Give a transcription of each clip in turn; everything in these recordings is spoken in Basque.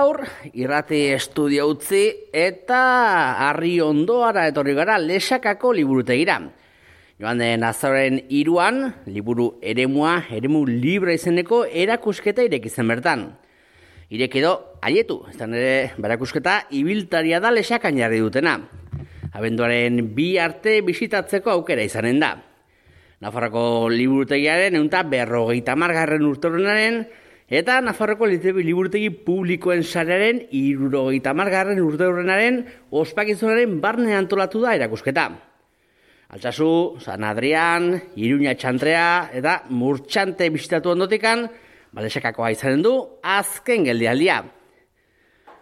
gaur, irrati estudio utzi eta Arriondoara etorri gara Lexakako liburutegira. Joan den azaroaren 3an, liburu eremua, eremu libre izeneko erakusketa ireki zen bertan. Ireki edo, aietu, ez da nire berakusketa ibiltaria da Lexakan jarri dutena. Abenduaren 2 arte bisitatzeko aukera izanen da. Nafarroko liburutegiaren 150. urteurrenaren eta Nafarroko liburutegi publikoen sarearen 70. urteurrenaren ospakizunaren barne antolatu da erakusketa. Altsasu, San Adrian, Iruña Txantrea eta Murtxante bisitatu ondotikan, Lexakakoa izanen du azken geldialdia.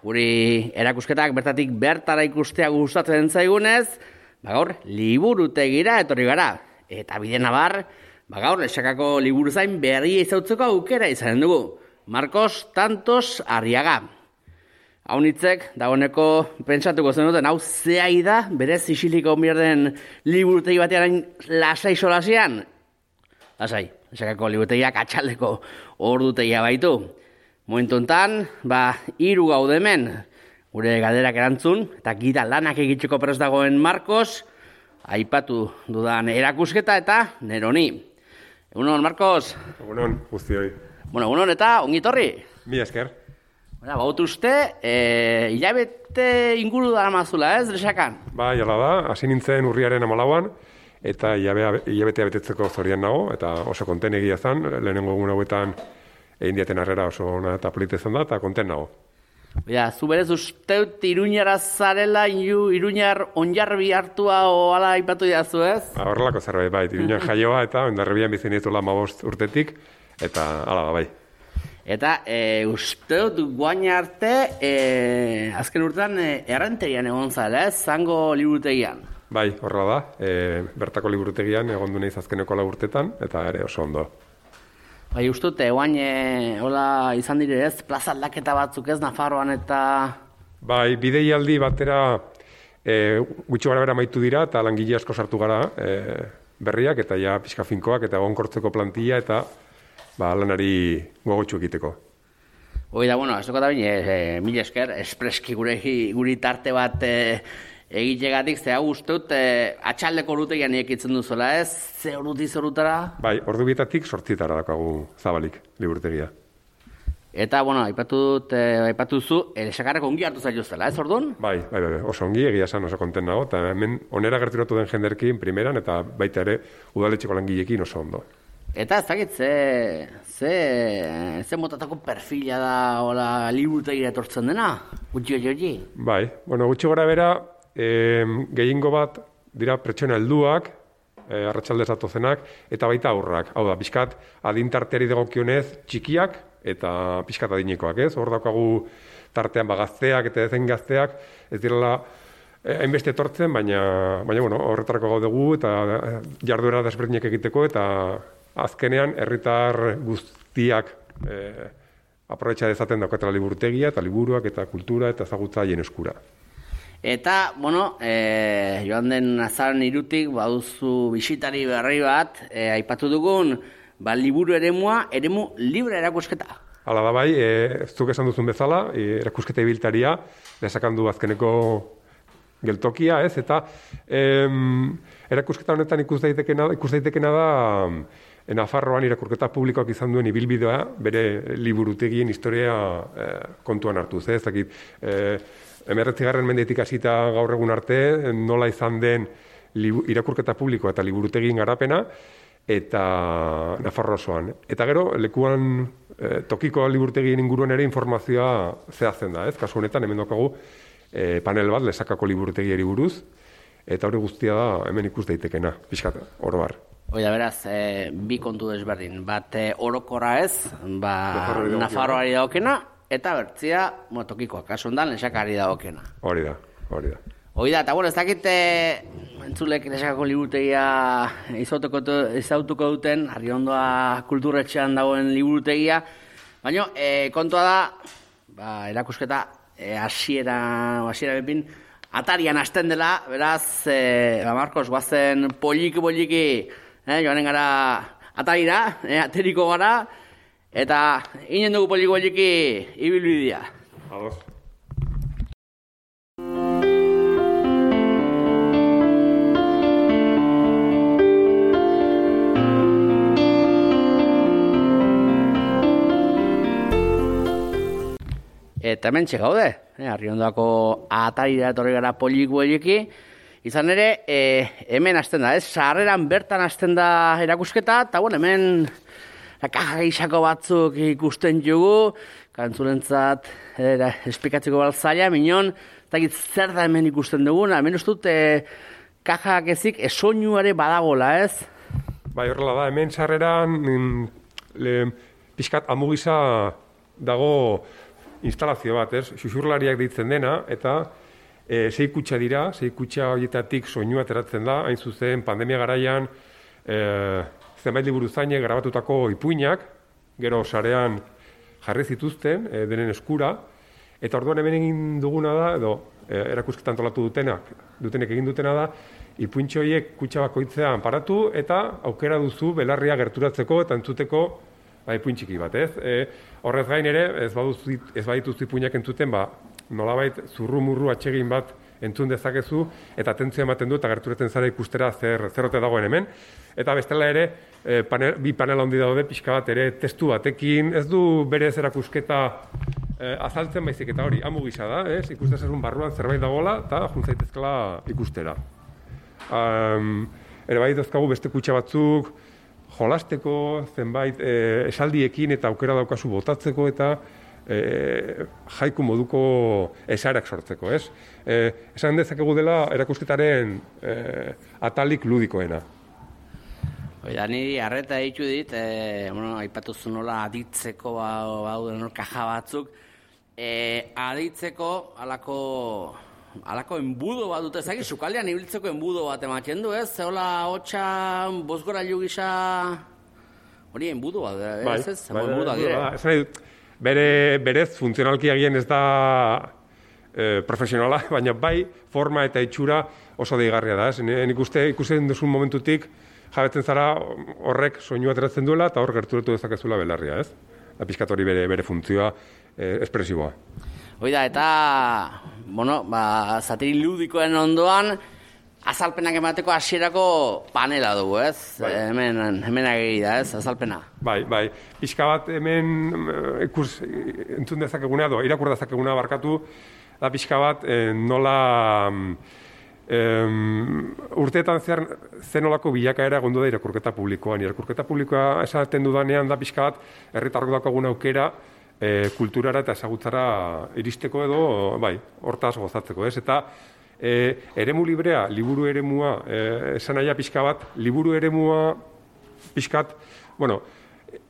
Guri erakusketak bertatik bertara ikustea gustatzen zaigunez, gaur liburutegira etorri gara. Eta bide nabar, gaur Lexakako liburuzain berria izautzeko aukera izanen dugu. Marcos Tantos Arriaga. Hau nitzek, dagoeneko pentsatuko zenuten, hau zehai da, berez isiliko mierden liburutegi batean lasai solasian? Lasai, Lexakako liburutegiak atxaldeko ordutegia baitu. Momentu enten, 3 gaude hemen, gure galderak erantzun, eta gida lanak egiteko prest dagoen Marcos, aipatu dudan erakusketa eta neroni. Egunon, Marcos? Egunon, guztioi. Bueno, egunon eta ongitorri. Mi esker. Baut uste, hilabete inguru dara mazula, ez, Lexakan? Jala da, hasi nintzen urriaren 14an, eta hilabetea betetzeko zorian nago, eta oso konten egia zen, lehenengo egun hauetan egin diaten harrera oso ona eta polita izan da, eta konten nago. Zu berez usteut Iruñara zarela, Iruñar onjarbi hartua oala aipatu diazu, ez? Horrelako zerbait, Iruñan jaioa eta ondarribian bizi nituela 15 urtetik, eta hala da, bai. Eta usteut guain arte, azken urtean errenterian egon zara, ez? Zango liburutegian. Bai, horrela da, bertako liburutegian egon du naiz azkeneko 4 urtetan, eta ere oso ondo. Bai, ustut, guain hola izan dire ez, plaza aldaketa batzuk ez, Nafarroan eta... Bai, bideialdi batera gutxi gara bera maitu dira, eta langile asko sartu gara berriak, eta ja pixka finkoak, eta egonkortzeko plantilla, eta lanari gogotxu egiteko. Hoi da, bueno, ez dukot da bine, mila esker, espreski guri tarte bat egitegatik, ze hau usteut, atxaldeko ordutegian ekitzen duzuela, ez? Ze orutara? Bai, ordu bietatik 8etara dakagu zabalik liburutegia. Eta, bueno, aipatu zu, Lexakarreko ongi hartu zailuzela, ez orduan? Bai, oso ongi, egia esan oso konten nago, eta hemen onera gerturatu den jenderkin primeran, eta baita ere udaletxeko langilekin oso ondo. Eta ez dakit, ze motatako perfila da hola liburutegira etortzen dena? Gutxi. Bai, bueno, gutxi gora bera, gehiengo bat dira pertsona helduak, arratsaldez datozenak, eta baita aurrak. Hau da, pixkat adintarteari dagokionez txikiak eta pixkat adinekoak, ez? Hor daukagu tartean gazteak eta ezen gazteak, ez direla hainbeste etortzen, baina bueno, horretarako gaudegu eta jarduera desberdinak egiteko, eta azkenean herritar guztiak aprobetxa dezaten daukatela liburutegia eta liburuak eta kultura eta ezagutza haien eskura. Eta, bueno, joan den azaroaren 3 baduzu bisitari berri bat, aipatu dugun, liburu eremu libre erakusketa. Hala da bai, zuk esan duzun bezala, erakusketa ibiltaria, Lexakan du azkeneko geltokia, ez? Eta erakusketa honetan ikus daitekena da Nafarroan irakurketa publikoak izan duen ibilbidea, bere liburutegien historia kontuan hartuz, ez? Dakit, 19. mendetik hasita gaur egun arte, nola izan den irakurketa publikoa eta liburutegien garapena, eta Nafarro osoan. Eta gero, lekuan tokiko liburutegien inguruan ere informazioa zehazten da, ez? Kasu honetan, hemen daukagu panel bat Lexakako liburutegiari buruz, eta hori guztia da hemen ikus daitekena, pixkat, oro har. Oida, beraz, bi kontu desberdin. Bat orokorra ez, Nafarroari daukena, eta bertzia, tokikoa, kasu hondan Lexakari daukena. Hori da. Oida, eta bueno, ez dakit entzulek Lexakako liburutegia izautuko duten, Arriondoa kulturretxean dagoen liburutegia, baina kontua da, erakusketa hasiera bepin, atarian hasten dela, beraz, Marcos, guazen poliki, joanen gara atarira, ateriko gara, eta inen dugu poliki ibilbidea. Ados. Eta hemen gaude, Arriondako atarira etorri gara poliki. Izan ere, hemen hasten da, sarreran bertan hasten da erakusketa, eta bueno, hemen kaja gixako batzuk ikusten jugu, kantzulentzat esplikatzeko baltzaila, minon, eta zer da hemen ikusten duguna, hemen ustut kajak ezik soinuare badagola, ez? Bai, horrela da, hemen sarreran pixkat amugisa dago instalazio bat, ez? Xuxurlariak deitzen dena, eta sei kutxa dira, sei kutxa horietatik soinua ateratzen da, hain zuzen pandemia garaian zenbait liburu zainek grabatutako ipuinak, gero sarean jarri zituzten denen eskura, eta orduan hemen egin duguna da, edo erakusketan antolatu dutenek egin dutena da, ipuintxo horiek kutxa bakoitzean paratu, eta aukera duzu belarria gerturatzeko eta entzuteko ipuintxiki bat, ez? Horrez gain ere, ez badituzu ipuinak entzuten, nolabait zurru-murru atsegin bat entzun dezakezu, eta atentzioa ematen du, eta gerturatzen zara ikustera zer ote dagoen hemen. Eta bestela ere, bi panel handi daude, pixka bat ere testu batekin, ez du berez erakusketa azaltzen baizik eta hori, amu gisa da, ez? Ikustezazun barruan zerbait dagoela, eta juntzaitezkela ikustera. Ere bai dazkagu beste kutxa batzuk, jolasteko, zenbait esaldiekin eta aukera daukazu botatzeko eta jaiku moduko esaerak sortzeko, ez? Esan dezakegu dela erakusketaren atalik ludikoena. Oida, niri arreta ditu dit, aipatuzu nola aditzeko bauden kaja batzuk, aditzeko alako enbudo bat dute, zaki, sukaldean ibiltzeko enbudo bat ematen du, ez? Zeola hotxa, bozgorailu gisa, hori enbudo bat, ez? Enbudo bat, berez, funtzionalki agian ez da profesionala, baina bai, forma eta itxura oso deigarria da, ez? Nik ikusten duzun momentutik, jabetzen zara horrek soinua ateratzen duela, eta hor gerturatu dezakezula belarria, ez? Pixkat hori bere funtzioa espresiboa. Oida, eta, zatiri ludikoen ondoan, azalpenak emateko hasierako panela dugu, ez? Bai. Hemen ageri da, ez? Azalpena. Bai. Pixka bat hemen entzun dezakeguna, irakur dezakeguna barkatu, da pixka bat nola urteetan zehar zenolako bilakaera egondu da irakurketa publikoan. Irakurketa publikoa esaten dudanean da pixka bat herritarrok daukagun aukera kulturara eta ezagutzara iristeko edo, hortaz gozatzeko, ez? Eta eremu librea, liburu eremua, esan naia pixka bat, liburu eremua pixkat,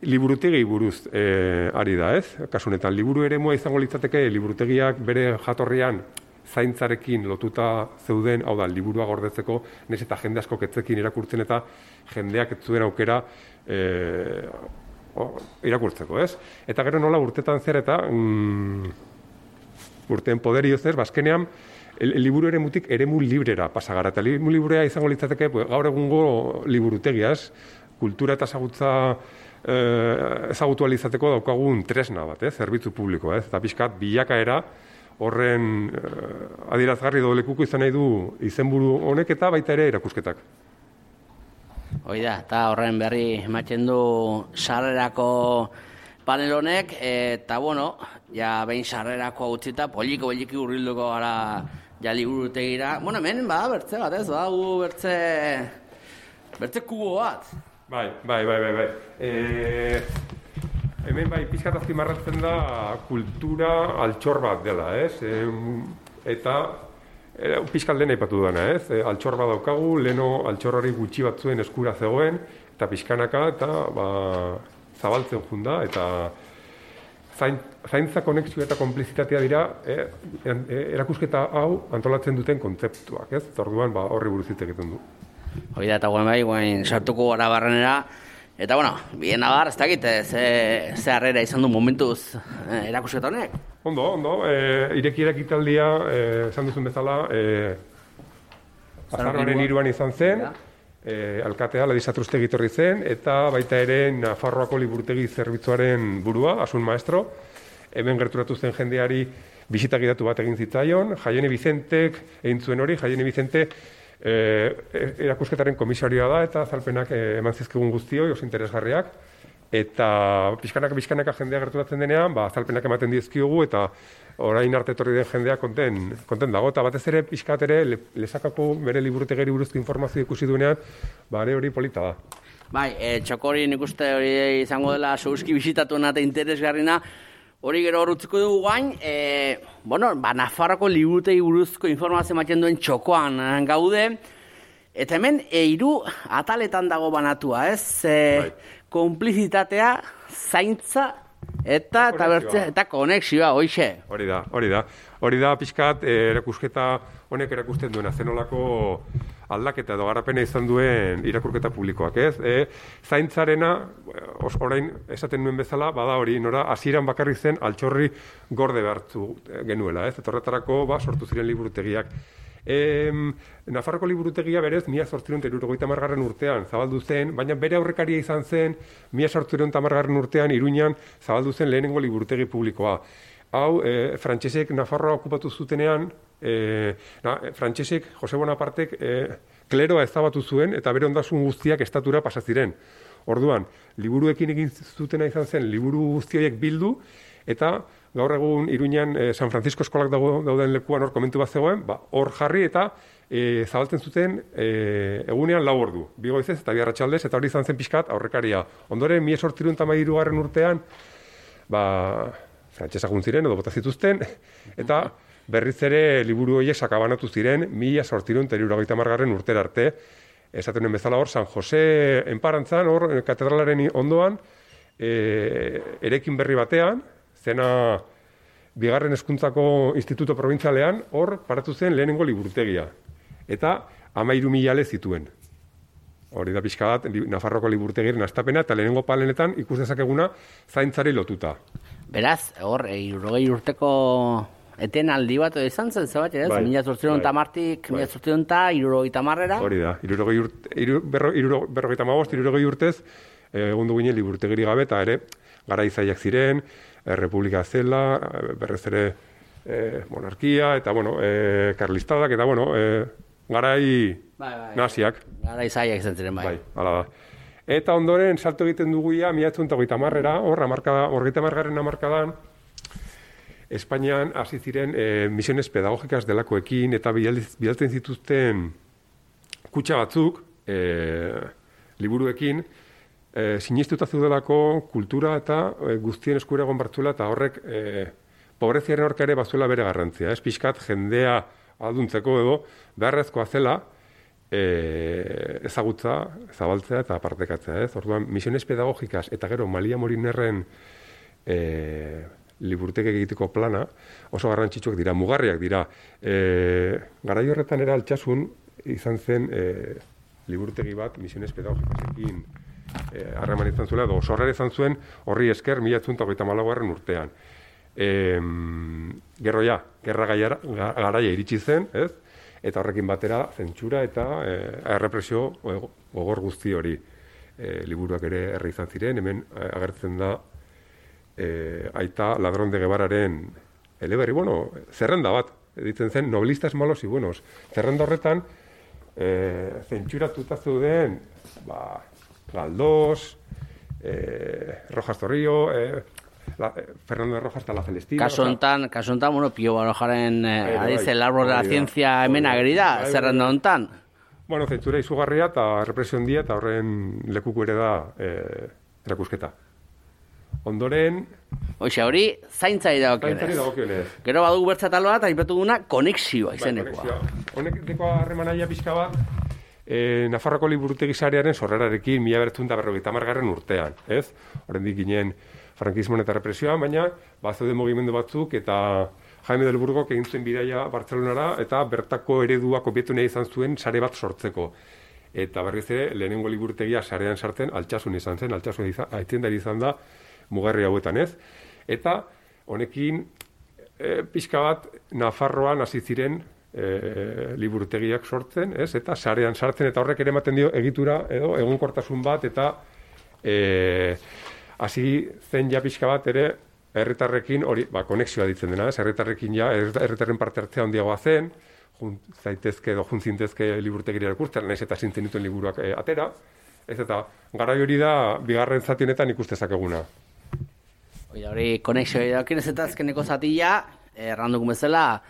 liburutegi buruz ari da, ez? Kasunetan, liburu eremua izango litzateke, liburutegiak bere jatorrian zaintzarekin lotuta zeuden, hau da, liburua gordetzeko, nez eta jende asko ketzekin irakurtzen eta jendeak ez zuen aukera irakurtzeko, ez? Eta gero nola urtetan zer eta urteen poderioz ez, bazkenean, liburu eremutik eremu librera pasagara. Eta eremu librea izango litzateke gaur egungo liburutegiaz, kultura eta ezagutu alizateko daukagun tresna bat, zerbitzu publikoa, ez? Eta pixkat bilakaera horren adierazgarri lekuko izan nahi du izenburu honek eta baita ere erakusketak. Oida, eta horren berri ematen du sarrerako panel honek, eta behin sarrerako utzita, poliki urrilduko gara ja liburutegira. Hemen bertze bat ez, bertze kubo bat. Bai. Hemen pixkat azpimarratzen da kultura altxor bat dela, ez? Eta pixkat lehen aipatu dena, ez? Altxor bat daukagu, leheno altxorrari gutxi batzuen eskura zegoen, eta pixkanaka, eta zabaltzen junda, eta zaintza konexioa eta konplizitatea dira erakusketa hau antolatzen duten kontzeptuak, ez? Orduan horri buruz hitz egiten du. Hori da, eta guain sartuko gara barrenera, eta bien abar, ez dakit, ze harrera izan du momentuz erakusketa honek? Ondo, irekiera ekitaldia, esan duzun bezala, azaroaren 3 izan zen, alkatea Ladisatruztegi etorri zen, eta baita ere Nafarroako liburutegi zerbitzuaren burua, Asun Maestro, hemen gerturatu zen jendeari bisita gidatu bat egin zitzaion, Jaione Vicentek egin zuen hori, Jaione Vicente erakusketaren komisarioa da eta azalpenak eman zizkigun guztioi, oso interesgarriak, eta pixkanaka jendea gerturatzen denean, azalpenak ematen dizkiogu eta orain arte etorri den jendea konten dago, eta batez ere pixkat ere Lesakako bere liburutegiari buruzko informazio ikusi duenean, hori polita da. Bai, Txokori nik uste hori izango dela zeuski bisitatuena eta interesgarrina, hori gero horretziko dugu gain, Nafarroko liburutegi buruzko informazio ematen duen txokoan gaude, eta hemen 3 ataletan dago banatua, ez? Konplizitatea, zaintza eta konexioa, hoixe. Hori da pixkat erakusketa honek erakusten duena, zenolako aldaketa edo garapena izan duen irakurketa publikoak, ez? Zaintzarena, orain esaten nuen bezala, bada hori, nora hasieran bakarrik zen altxorri gorde behartzu genuela, ez? Eta horretarako sortu ziren liburutegiak. Nafarroko liburutegia berez 1870 urtean zabaldu zen, baina bere aurrekaria izan zen 1870 urtean Iruñan zabaldu zen lehenengo liburutegi publikoa. Hau, frantsesek Nafarroa okupatu zutenean, frantsesek, Jose Bonapartek, kleroa ezabatu zuen eta bere ondasun guztiak estatura pasa ziren. Orduan, liburuekin egin zutena izan zen, liburu guzti horiek bildu, eta gaur egun Iruñan San Francisco eskolak dauden lekuan hor komentu bat zegoen, hor jarri eta zabaltzen zuten egunean 4 ordu, 2 goizez eta 2 arratsaldez, eta hori izan zen pixkat aurrekaria. Ondoren 1813 urtean, frantsesak ziren edo bota zituzten, eta berriz ere liburu horiek sakabanatu ziren 1870 urtera arte. Esaten nuen bezala hor, San Jose enparantzan, hor katedralaren ondoan, eraikin berri batean, zena 2. hezkuntzako instituto probintzialean, hor paratu zen lehenengo liburutegia. Eta 13.000 zituen. Hori da pixka bat, Nafarroko liburutegiaren hastapena, eta lehenengo palenetan ikus dezakeguna zaintzari lotuta. Beraz, hor, 60 urteko etenaldi bat izan zen, zebat, ez? 1870-tik, 1870-era. Hori da, 60 urtez, egun ginen liburutegiri gabe, eta ere, gara izaiak ziren, Republika zela, berrez ere monarkia, eta, karlistadak, eta, garai naziak. Gara izaiak izan ziren, bai. Hala da. Eta ondoren, salto egiten dugu ia, 1930-era, hor, 30. hamarkadan, Espainian hasi ziren misiones pedagogikaz delakoekin, eta bidaltzen zituzten kutxa batzuk, liburuekin, sinistuta zeudelako kultura eta guztien eskura egon bartzula, eta horrek pobreziaren aurka ere bazuela bere garrantzia. Ez pixkat jendea alduntzeko edo beharrezkoa zela ezagutza, zabaltzea eta partekatzea. Orduan, misiones pedagogikaz eta gero Malia Morinerren liburutegi egiteko plana oso garrantzitsuak dira, mugarriak dira. Garai horretan era Altsasun izan zen liburutegi bat misiones pedagogikasekin harreman izan zuela, edo sorrera izan zuen horri esker 1834 urtean. Gerra garaia iritsi zen, ez? Eta horrekin batera zentsura eta errepresio gogor guzti hori. Liburuak ere herri izan ziren, hemen agertzen da Aita Ladrón de Guevararen eleberri, zerrenda bat, ditzen zen noblistas malos y buenos. Zerrenda horretan, zentsuratuta zeuden, Galdós, Rojas Zorrillo, Fernando de Rojas eta La Celestina. Kasu hontan, Pio Barojaren adiz el árbol de la ciencia hemen ageri da, zerrenda hontan. Zentsura izugarria eta represio handia eta horren lekuko ere da erakusketa. Ondoren... Hori, zaintzari dagokionez. Gero badugu bertzatal bat, aipatu duguna, konexioa izenekoa. Honek deko harremanaia pixka bat, Nafarroko liburutegi sarearen sorrerarekin 1950 urtean, ez? Oraindik ginen frankismoan eta represioan, baina bazeuden mugimendu batzuk eta Jaime del Burgok egin zuen bidaia Bartzelonara eta bertako eredua kopietu nahi izan zuen sare bat sortzeko. Eta berriz ere, lehenengo liburutegia sarean sartzen Altsasun izan zen, Altsasun aitzindari izan da mugarri hauetan, ez? Eta honekin pixka bat Nafarroan hasi ziren liburutegiak sortzen, ez? Eta sarean sartzen, eta horrek ere ematen dio egitura edo egunkortasun bat, eta hasi zen ja pixka bat ere herritarrekin hori, konexioa ditzen dena, herritarrekin ja, herritarren parte hartzea handiagoa zen, zaitezke edo juntzintezke liburutegira irakurtzen, nahiz eta zintzen dituen liburuak atera, ez eta garai hori da bigarren zati honetan ikustezakeguna. Hori konexioa idakin ez eta azkeneko zatia, erranduko bezala,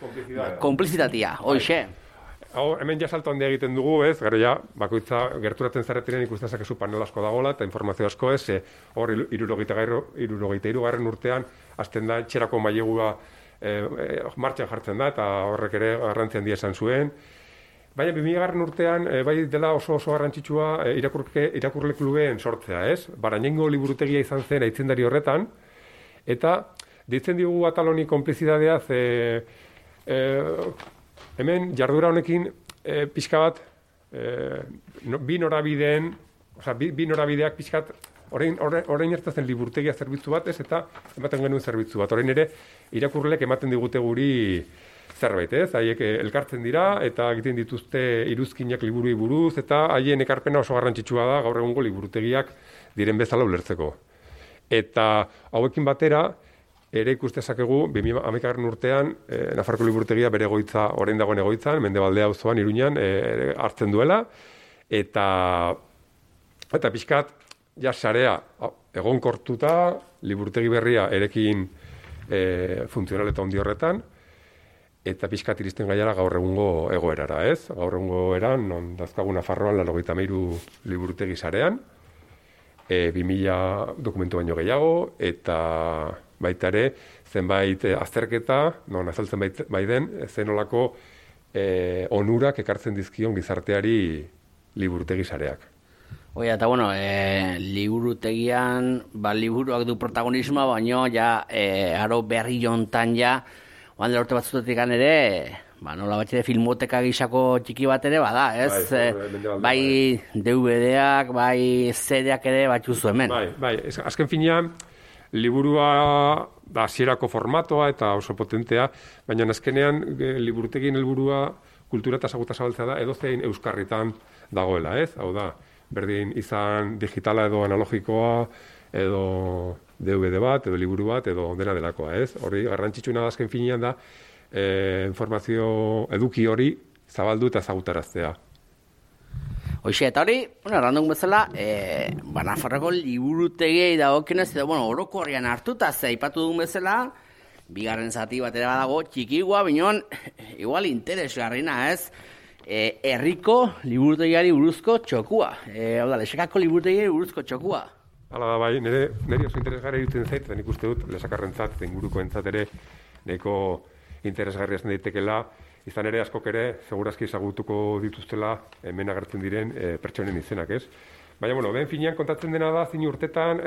konplizitatea, hoxe. Hemen ja salto handia egiten dugu, ez? Gero ja, bakoitza gerturatzen zaretiren ikustezakezu panel asko dagoela eta informazio asko ez, hor 73. urtean hasten da etxerako mailegua martxan jartzen da eta horrek ere garrantzi handia esan zuen. Baina 2000. urtean bai dela oso garrantzitsua irakurle klubeen sortzea, ez? Barainengo liburutegia izan zen aitzindari horretan eta ditzen diogu atal honi konplizitatea hemen jardura honekin pixka bat bi norabideak pixka bat orain ertazen liburutegia zerbitzu bat, ez eta ematen genuen zerbitzu bat. Orain ere irakurleek ematen digute guri zerbait, ez? Haiek elkartzen dira eta egiten dituzte iruzkinak liburuei buruz eta haien ekarpena oso garrantzitsua da gaur egungo liburutegiak diren bezala ulertzeko. Eta hauekin batera ere ikustezakegu 2011. urtean Nafarroko liburutegia bere egoitza orain dagoen egoitzan Mendebaldea auzoan Iruñan hartzen duela eta pixkat ja sarea egonkortuta liburutegi berria erekin funtzional eta ondi horretan eta pixkat iristen gaiara gaur egungo egoerara, ez? Gaur egungo eran non dazkagu Nafarroan 93 liburutegi sarean 2000 dokumentu baino gehiago eta baita ere, zenbait azterketa, non azaltzen bai den, zenolako onurak ekartzen dizkion gizarteari liburutegi sareak. Oia, eta bueno, liburutegian, liburuak du protagonismoa, baino, ja, aro berri jontan ja, oan dela urte batzutetik ere, nola batxere filmoteka gisako txiki bat ere, bada, ez? Bai DVD-ak, bai CD-ak ere batxuzu hemen. Bai, azken finean, liburua da hasierako formatoa eta oso potentea, baina azkenean liburutegien helburua kultura eta ezagutza zabaltzea da edozein euskarritan dagoela, ez? Hau da, berdin izan digitala edo analogikoa, edo DVD bat, edo liburu bat, edo dena delakoa, ez? Hori garrantzitsuna da azken finean da informazio eduki hori zabaldu eta ezagutaraztea. Hoxe, eta hori, errandun bezala, Nafarroko liburutegiei dagokionez, edo, orokorrean hartuta aipatu dugun bezala, bigarren zati bat ere badago, txikigua, binon, igual interesgarrina, ez? Herriko liburutegiari buruzko txokua. Hau da, Lesakako liburutegiari buruzko txokua. Hala da, bai, nire oso interesgarri duten zait, eta nik uste dut, Lesakarrentzat, inguruko entzat ere, nahiko interesgarria zen daitekela, izan ere askok ere, segurazki ezagutuko dituztela hemen agertzen diren pertsonen izenak, ez? Baina, ben finean kontatzen dena da, zin urtetan,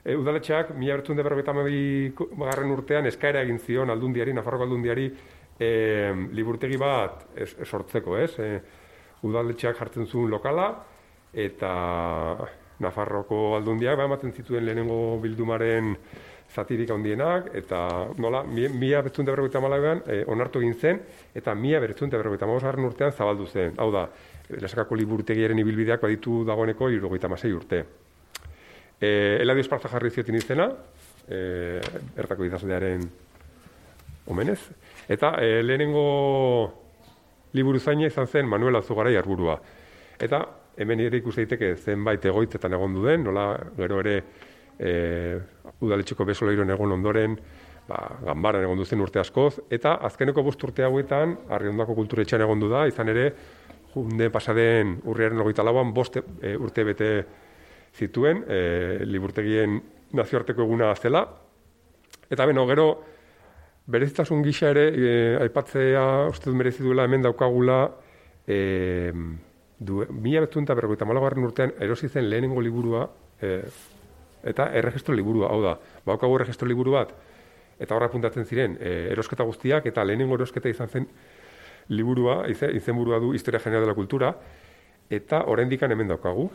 udaletxeak, 1952. urtean eskaera egin zion aldundiari, Nafarroko aldundiari, liburutegi bat sortzeko, ez? Udaletxeak jartzen zuen lokala, eta Nafarroko aldundiak ematen zituen lehenengo bildumaren zatirik handienak, eta nola, 1954an onartu egin zen, eta 1955 urtean zabaldu zen. Hau da, Lesakako liburutegiaren ibilbideak baditu dagoeneko 76 urte. Eladio Esparza jarri ziotin izena, bertako idazlearen omenez, eta lehenengo liburuzaina izan zen Manuel Azugarai Arburua. Eta hemen ere ikus daiteke zenbait egoitzetan egon duen, nola gero ere udaletxeko besoleiron egon ondoren, ganbaran egon duzen urte askoz, eta azkeneko 5 urte hauetan, Arriondako kulturetxean egon du da, izan ere, junde pasaden urriaren 24an 5 urte bete zituen, liburtegien nazioarteko eguna zela, eta gero, berezitasun gisa ere, aipatzea, uste dut merezi duela hemen daukagula, 1954 urtean erosi zen lehenengo liburua, eta erregistro liburua, hau da, baukagu erregistro liburu bat, eta horra apuntatzen ziren erosketa guztiak, eta lehenengo erosketa izan zen liburua, izenburua du Historia General de la Cultura, eta oraindik hemen daukagu,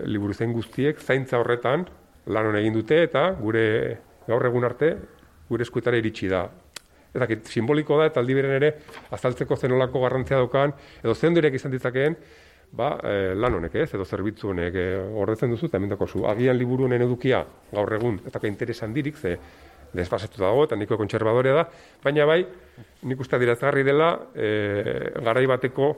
liburu zen guztiek zaintza horretan lan egin dute, eta gure gaur egun arte, gure eskuetara iritsi da. Eta simboliko da, eta aldi beren ere, azaltzeko zenolako garrantzia daukan, edo zendoirek izan ditzakeen, lan honek, ez, edo zerbitzu honek ordetzen duzu, eta hemen dakozu. Agian liburu honen edukia gaur egun, eta interesan dirik, ze desfasetu dago, eta niko kontserbadorea da, baina bai, nik uste adierazgarri dela garai bateko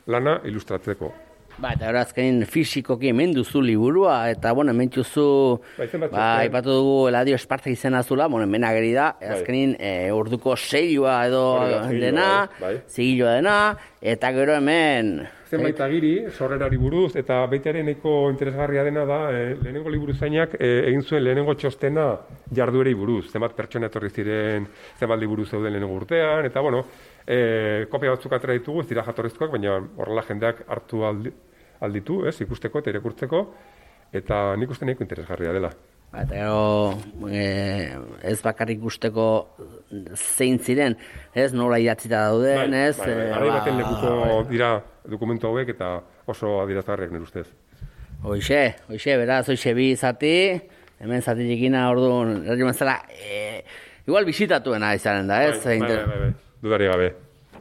lana ilustratzeko. Eta azkenin fisikoki hemen duzu liburua, eta, hemen duzu, ipatu dugu Eladio Esparta izena zula, hemen ageri da, azkenin orduko seilua edo dena, zigilua dena, eta gero hemen... Zenbait agiri, sorrerari buruz, eta baitaren nahiko interesgarria dena da, lehenengo liburuzainak egin zuen lehenengo txostena jarduerei buruz, zenbat pertsona etorri ziren, zenbat liburu zeuden lehenengo urtean, eta kopia batzuk atera ditugu, ez dira jatorrizkoak, baina horrela jendeak hartu alditu, ikusteko eta irakurtzeko, eta nik uste nahiko interesgarria dela. Eta gero, ez bakarrik ikusteko zein ziren, nola idatzita dauden, ez? Garai baten lekuko dira dokumentu hauek eta oso adierazgarriak nire ustez. Hoxe, beraz, bi zati, hemen zati txikina orduan, erri mazala, igual bisitatuena izanen da, ez? Bai, dudari gabe,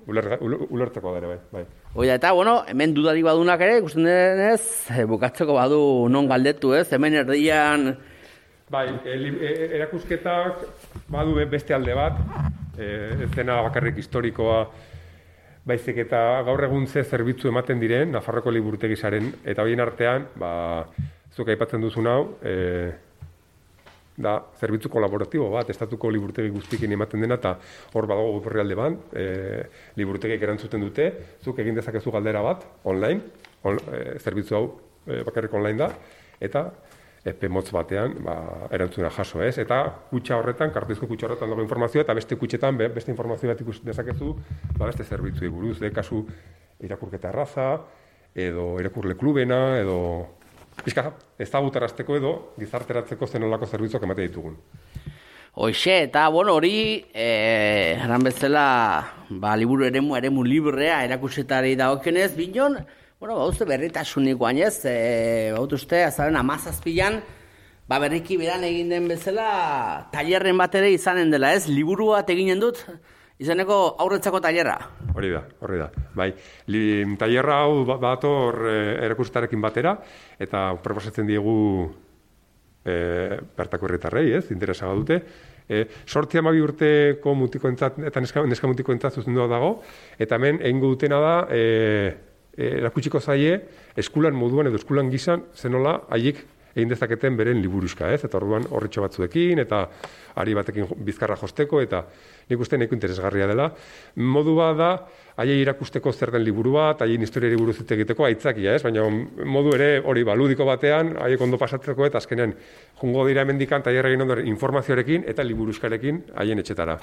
ulertzeko dara, bai. Oida, eta, hemen dudari badunak ere, ikusten denez, bukatzeko badu non galdetu, ez? Hemen erdian... Bai, erakusketak badu beste alde bat, ez dena bakarrik historikoa, baizik eta gaur egun ze zerbitzu ematen diren, Nafarroko liburutegisaren, eta horien artean, zuk aipatzen duzun hau, da zerbitzu kolaboratibo bat, estatuko liburutegi guztiekin ematen dena, eta hor badago herrialde bat, liburutegiek erantzuten dute, zuk egin dezakezu galdera bat, online, zerbitzu hau bakarrik online da, eta epe motz batean erantzuna jaso, ez? Eta kutxa horretan, kartuzko kutxa horretan dago informazioa, eta beste kutxetan beste informazio bat ikus dezakezu, beste zerbitzuei buruz, kasu irakurketa erraza, edo irakurle klubena, edo ezagutarazteko edo gizarteratzeko zenolako zerbitzuak ematen ditugun. Hoxe, eta hori, eran bezala, liburu eremu librea erakusetari dagokenez, binon, uste berritasunik guainez, uste, azaren 17an, berriki beran egin den bezala, tailerren bat ere izanen dela, ez? Liburu bat eginen dut, izaneko aurretzako tailerra. Hori da. Bai, tailerra hau bator erakusetarekin batera, eta proposatzen diegu bertako herritarrei, ez? Interesa badute. 12 urteko mutikoentzat eta neska mutikoentzat zuzendua dago, eta hemen egingo dutena da erakutsiko zaie eskulan moduan edo eskulan gizan zenola haiek egin dezaketen beren liburuxka, ez? Eta orduan horretxo batzuekin eta ari batekin bizkarra josteko, eta nik uste nahiko interesgarria dela. Modu bat da, haiei irakusteko zer den liburu bat, haien historiari buruz hitz egiteko aitzakia, ez? Baina modu ere hori ludiko batean, haiek ondo pasatzeko eta azkenean jungo dira hemendikan tailer egin ondoren informazioarekin eta liburuxkarekin haien etxetara.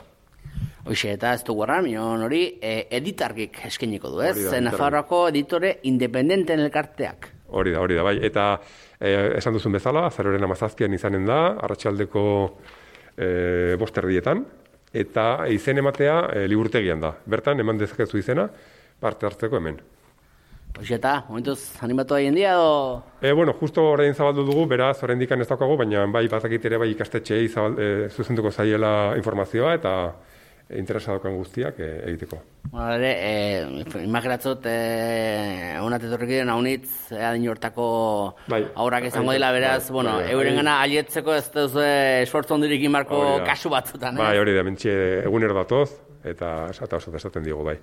Hoxe, eta ez dugu erran, hori editargik eskeniko du, ez? Nafarroako editore independenten elkarteak. Hori da, bai. Eta esan duzun bezala, azaroaren 17an izanen da, arratsaldeko 5:00 eta izen ematea liburutegian da. Bertan, eman dezakezu izena, parte hartzeko hemen. Hoxe, eta, momentuz, animatu haien dia, edo? Justo orain zabaldu dugu, beraz, orain dikan ez daukago, baina bai, batakit ere bai ikastetxeei zuzenduko zaiela informazioa, eta interesa daukan guztiak egiteko. Imaginatzot, honat etorrik diren haunitz, adin hortako aurrak izango dela, beraz, euren gana alietzeko ez duz esfortzu ondirik inbarko kasu batzutan. Bai, hori da, mentxe egunero datoz, eta oso esaten digu, bai.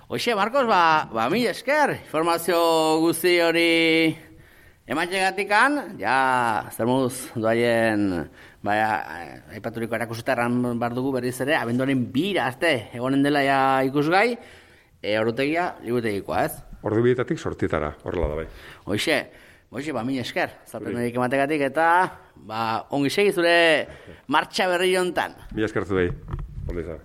Hoxe, Marcos, mila esker, informazio guzti hori ematxegatikan, zer moduz doaien, aipaturiko erakusetarran bar dugu berriz ere, abenduaren 2 egonen dela ikusgai, ordutegia liburutegikoa, ez? Ordubietatik 8:00, horrela da bai. Hoxe, mila esker, zapendorik emategatik, eta ongi segi zure martxa berri hontan. Mila esker zu bai, ondo izan.